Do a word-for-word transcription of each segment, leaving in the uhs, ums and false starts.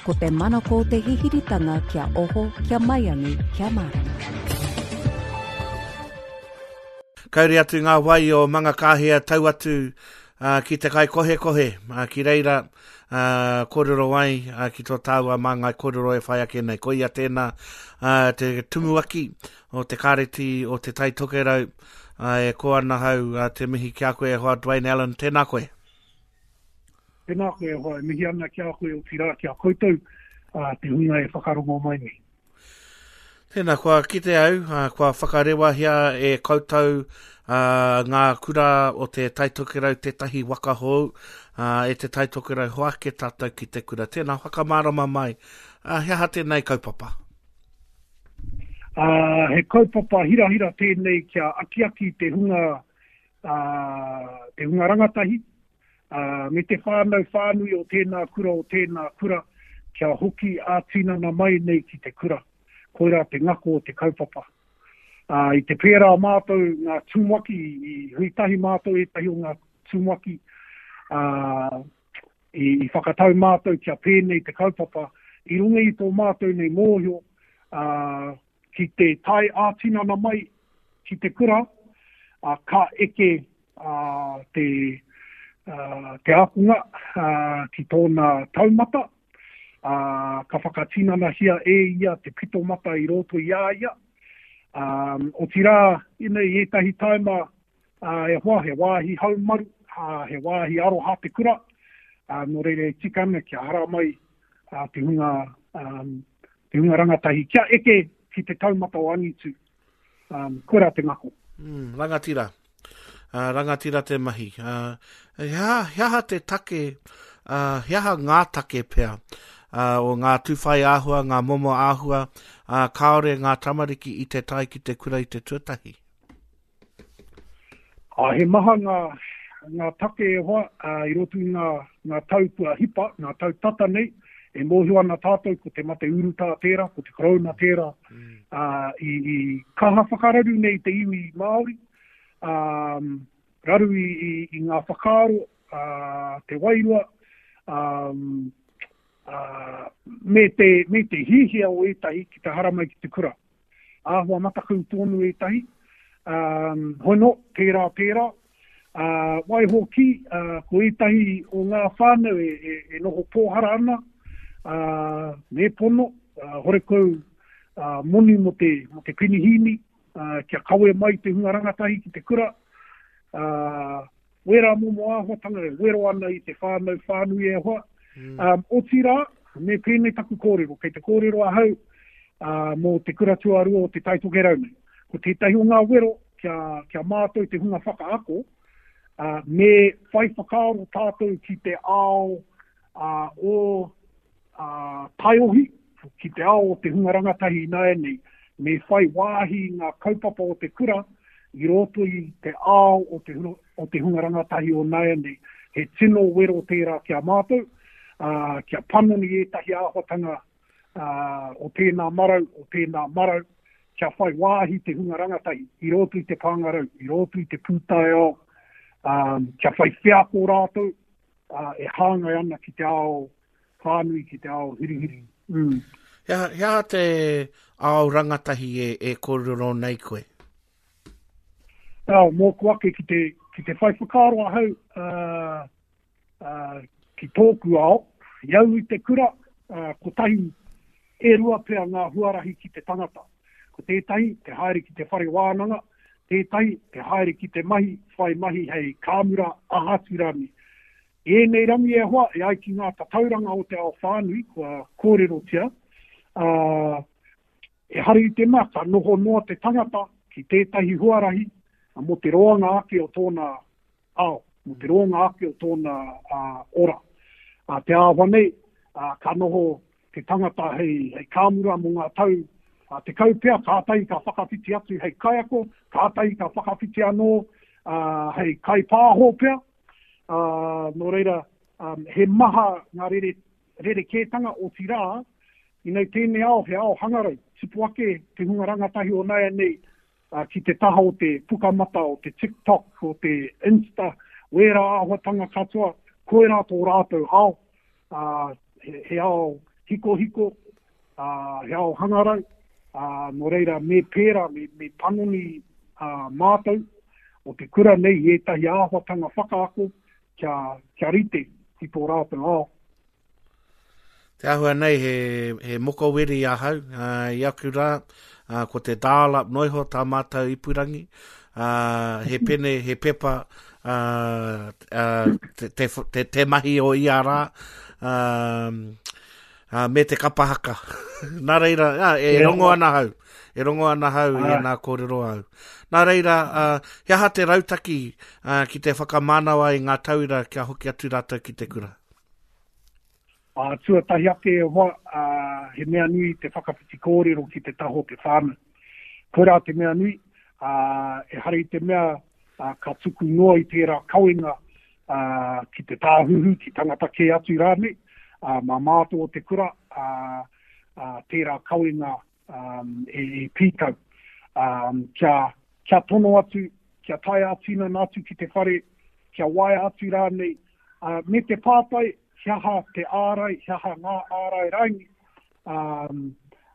Ko te manako te hihiritanga kia oho, kia maiangi, kia mārama. Kauri atu ngā wai o Mangakāhia tau atu uh, ki te kai kohekohe, uh, ki reira uh, kōrero ai uh, ki tō tāua māngai kōrero e whai ake nei. Ko ia tēnā uh, te tumuaki o te kāreti o te Tai Tokerau, uh, e ko ana hau uh, te mihi ki a koe e hoa Dwayne Allen, tēnā koe. Tēnā koe e hoa, e mihi ana ki a koe o tira ki a koutou uh, te hunga e whakarongo mai nei. Tēnā, kua kite au, uh, kua whakarewahia e koutou uh, ngā kura o te Tai Tokerau tētahi waka hou, uh, e te Tai Tokerau hoake tātou ki te kura. Tēnā, whakamārama mai, uh, he aha tēnei kaupapa? Uh, he kaupapa hirahira tēnei kia akiaki te hunga, uh, te hunga rangatahi, uh, me te whānau whānui o tēnā kura o tēnā kura, kia hoki ā-tinana mai nei ki te kura. Koirā te ngako o te kaupapa. Uh, i te pērā mātou ngā tumuaki, i hui tahi mātou ētahi o ngā tumuaki, uh, i, i whakatau mātou kia pēnei te kaupapa, i runga i tō mātou nei mōhio, uh, ki te tae ā-tinana mai ki te kura, uh, ka eke uh, te, uh, te ākonga uh, ki tōna taumata, Uh, ka whakatinanahia e ia te pito mata i roto i a ia. Um, o tira, inei ētahi taima uh, e hoa, he wāhi haumaru, uh, he wāhi aroha te kura, uh, nō reira e tika ana kia hara mai uh, te hunga, um, te hunga rangatahi, kia eke ki te taumata o angitu. Um, koirā te ngako. Mm, rangatira. Uh, rangatira te mahi. Uh, he aha, he aha te take, uh, he aha ngā take pea, uh, o ngā tūwhai āhua, ngā momo āhua, uh, kāore ngā tamariki i te tae ki te kura i te tuatahi? Uh, he maha ngā, ngā take e hoa, uh, i roto i ngā, ngā tau kua hipa, ngā tau tata nei, e mōhio ana tātou ko te mate urutā tērā, ko te korona tērā, mm. uh, i, i kaha whakararu nei te iwi Māori, um, raru i, i, i ngā whakaaro, uh, te wairua, um, Uh, me te, me te hihia o ētahi ki te haramai ki te kura. Āhua matakau tōnu ētahi, um, hono, tērā, tērā. Uh, waiho ki, uh, ko ētahi o ngā whānau e, e, e noho pōhara ana, uh, me pono, uh, horekau uh, moni mo te, mo te penihīni, uh, kia kawe mai te hunga rangatahi ki te kura. Uh, wera momo āhuatanga e wero ana i te whānau whānui e hoa. Mm. Um, otirā, me pēnei taku kōrero, kei te kōrero ahau uh, mō te kura tuarua o te Tai Tokerau nei. Ko tētahi o ngā wero kia, kia mātou te hunga whakaako, uh, me whai whakaaro tātou ki te ao uh, o uh, taiohi, ki te ao o te hunga rangatahi ināianei, me whai wāhi ngā kaupapa o te kura i roto i te ao o te, o te hunga rangatahi o nāianei. He tino wero tērā kia mātou, Uh, kia panoni ētahi āhuatanga uh, o tēnā marau, o tēnā marau, kia whai wāhi te hunga rangatahi i roto i te pāngarau, i roto i te pūtaiao, um, kia whai wheako rātou uh, e hāngai ana ki te ao whānui, ki te ao hurihuri. Mm. He aha, he aha te ao rangatahi e, e kōrero nei koe? Oh, mōku ake ki te, ki te whai whakaaro ahau uh, uh, ki tōku ao, i au i te kura, uh, kotahi e rua pea ngā huarahi ki te tangata. Ko tētahi, te haere ki te whare wānanga, tētahi, te haere ki te mahi, whai mahi hei kāmura aha atu rānei. I ēnei rangi e hoa, e ai ki ngā tatauranga o te ao whānui, kua kōrerotia, uh, e hari i te mea, ka noho noa te tangata ki tētahi huarahi mō te roanga ake o tōna ao, mō te roanga ake o tōna uh, ora. Uh, te āhua nei, uh, ka noho te tangata hei, hei kāmura mō ngā tau uh, te kaupea, kātahi ka whakawhiti atu hei kaiako, kātahi ka whakawhiti anō uh, hei kaipāho pea. Uh, nō reira, um, he maha ngā rere, rerekētanga o tirā, inei tēnei ao, he ao hangarau, tipu ake te hunga rangatahi o nāianei uh, ki te taha o te pukamata, o te TikTok, o te Insta, wērā āhuatanga katoa, koirā tō rātou ao, uh, he, he ao hikohiko, ā, he ao hangarau, ā, nō reira me pērā, me, me panoni ā, mātou o te kura nei i ētahi āhuatanga whakaako kia, kia rite ki tō rātou ao. Te āhua nei he, he mokoweri ahau, uh, i aku rā, uh, ko te dial-up noiho tā mātou ipurangi, uh, he pene, he pepa, uh, uh, te, te, te, te mahi o ia rā, uh, uh, me te kapa haka. Nā reira, uh, e rongo ana hau, e rongo ana hau i nā kōrero au. Nā reira, uh, he aha te rautaki uh, ki te whakamānawa i ngā tauira kia hoki atu rātou ki te kura? Uh, tuatahi ake e hoa, uh, he mea nui te whakawhiti kōrero ki te taho te whānau. Koirā te mea nui, uh, e hare i te mea uh, ka tuku noa i tērā kawenga uh, ki te tāhuhu, ki tangata kē atu rānei, uh, mā mātou o te kura, uh, uh, tērā kawenga um, e, e pīkau. Um, kia, kia tono atu, kia tae ā-tinana atu ki te whare, kia waea atu rānei, uh, me te pātai, he aha te ārai, he aha ngā ārai raini um,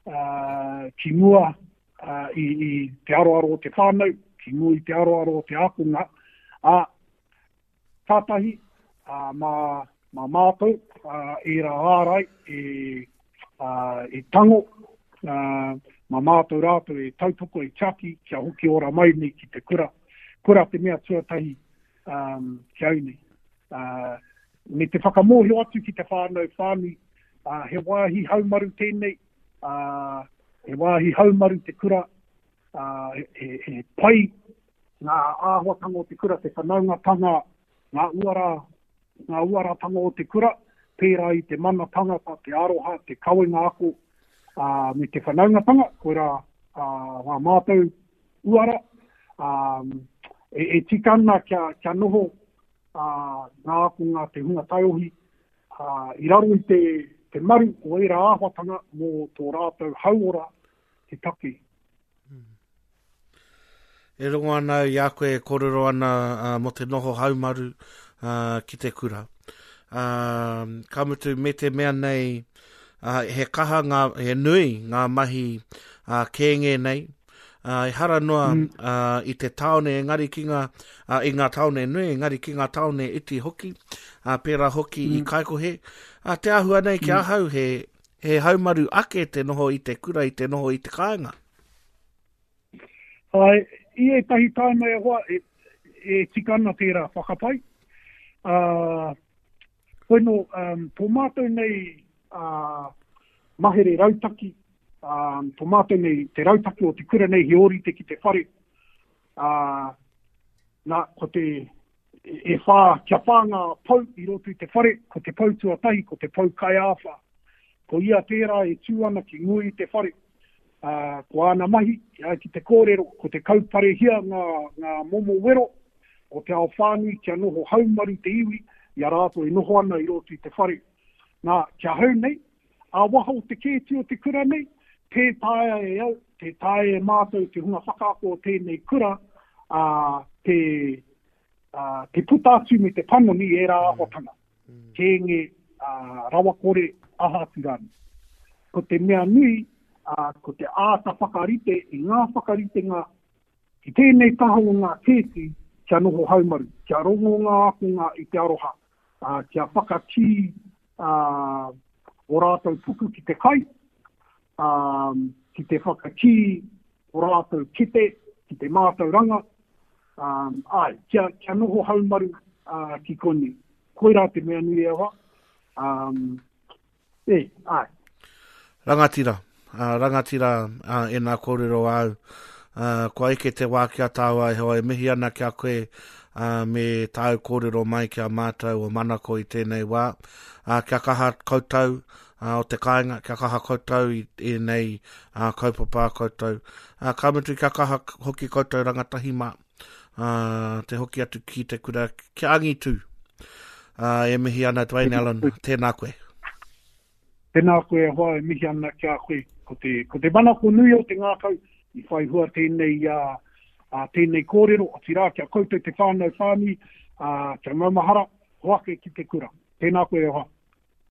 uh, ki mua uh, i, i te aroaro o te whānau, ki mua i te aroaro o te ākonga. Ā, kātahi, uh, mā, mā mātou, uh, ērā ārai e, uh, e tango, uh, mā mātou rātou e tautoko, e tiaki, kia hoki ora mai nei ki te kura. Kura te mea tuatahi um, ki au nei. Uh, me te whakamōhio atu ki te whānau whānui, uh, he wāhi haumaru tēnei, uh, he wāhi haumaru te kura, uh, he, he, he pai ngā āhuatanga o te kura, te whanaungatanga, ngā uara, ngā uaratanga o te kura, pērā i te mana tangata, te aroha, te kawenga ako, uh, me te whanaungatanga, koirā uh, ngā mātou uara, um, e, e tika ana kia, kia noho uh, ngā ākonga te hunga taiohi uh, i raro i te, te maru o ērā āhuatanga mō tō rātou hauora te take. E rongo ana i a koe e kōrero ana uh, mō te noho haumaru uh, ki te kura. Uh, ka mutu me te mea nei, uh, he kaha ngā, he nui ngā mahi uh, kēnge nei, uh, ehara noa mm. uh, i te tāone engari ki ngā, uh, i ngā tāone nui, engari ki ngā tāone iti hoki, uh, pērā hoki mm. i Kaikohe. Uh, te āhua nei ki mm. ahau, he, he haumaru ake te noho i te kura, i te noho i te kāinga. Ai, i ētahi tāima e hoa, e, e tika ana tērā whakapai. Uh, koino, um, tō mātou nei uh, mahere rautaki, um, tō mātou nei, te rautaki o te kura nei he ōrite ki te whare. Uh, nā, ko te, e whā, kia whā ngā pou i roto i te whare, ko te pou tuatahi, ko te pou kaiāwhā. Ko ia tērā e tū ana ki mua i te whare. Uh, ko āna mahi, uh, ki te kōrero, ko te kauparehia ngā, ngā momo wero o te ao whānui kia noho haumaru te iwi i a rātou e noho ana i roto i te whare. Nā, kia hau nei, ā waha o te kēti o te kura nei, tē taea e au, tē taea e mātou te hunga whakaako o tēnei kura, uh, te, uh, te puta atu me te panoni ērā āhuatanga. Kēnge, uh, rawakore, aha atu rānei. Ko te mea nui, uh, ko te āta whakarite i ngā whakaritenga ki tēnei taha o ngā kēti kia noho haumaru, kia rongo ngā ākonga i te aroha, uh, kia whakakī uh, o rātou puku ki te kai, um, ki te whakakī o rātou kete, ki te mātauranga, um, ai, kia, kia noho haumaru uh, ki konei. Koirā te mea nui e hoa. Um, e, ai. Rangatira, uh, rangatira uh, e nā kōrero au. Uh, kua eke te wā kia tāua e hoa e mihi ana kia koe uh, me tāu kōrero mai kia mātou o Manako i tēnei wā. Uh, kia kaha koutou uh, o te kāinga, kia kaha koutou i ēnei uh, kaupapa koutou. Uh, ka mutu kia kaha hoki koutou rangatahi mā, uh, te hoki atu ki te kura kia angitu. Uh, e mihi ana Dwayne Allen, tēnā koe. Tēnā koe e hoa e mihi ana kia koe. Ko te, ko te manako nui o te ngākau i whai hua tēnei, uh, uh, tēnei kōrero, otirā kia koutou te whānau whānui, uh, kia maumahara, hoake ki te kura. Tēnā koe e hoa.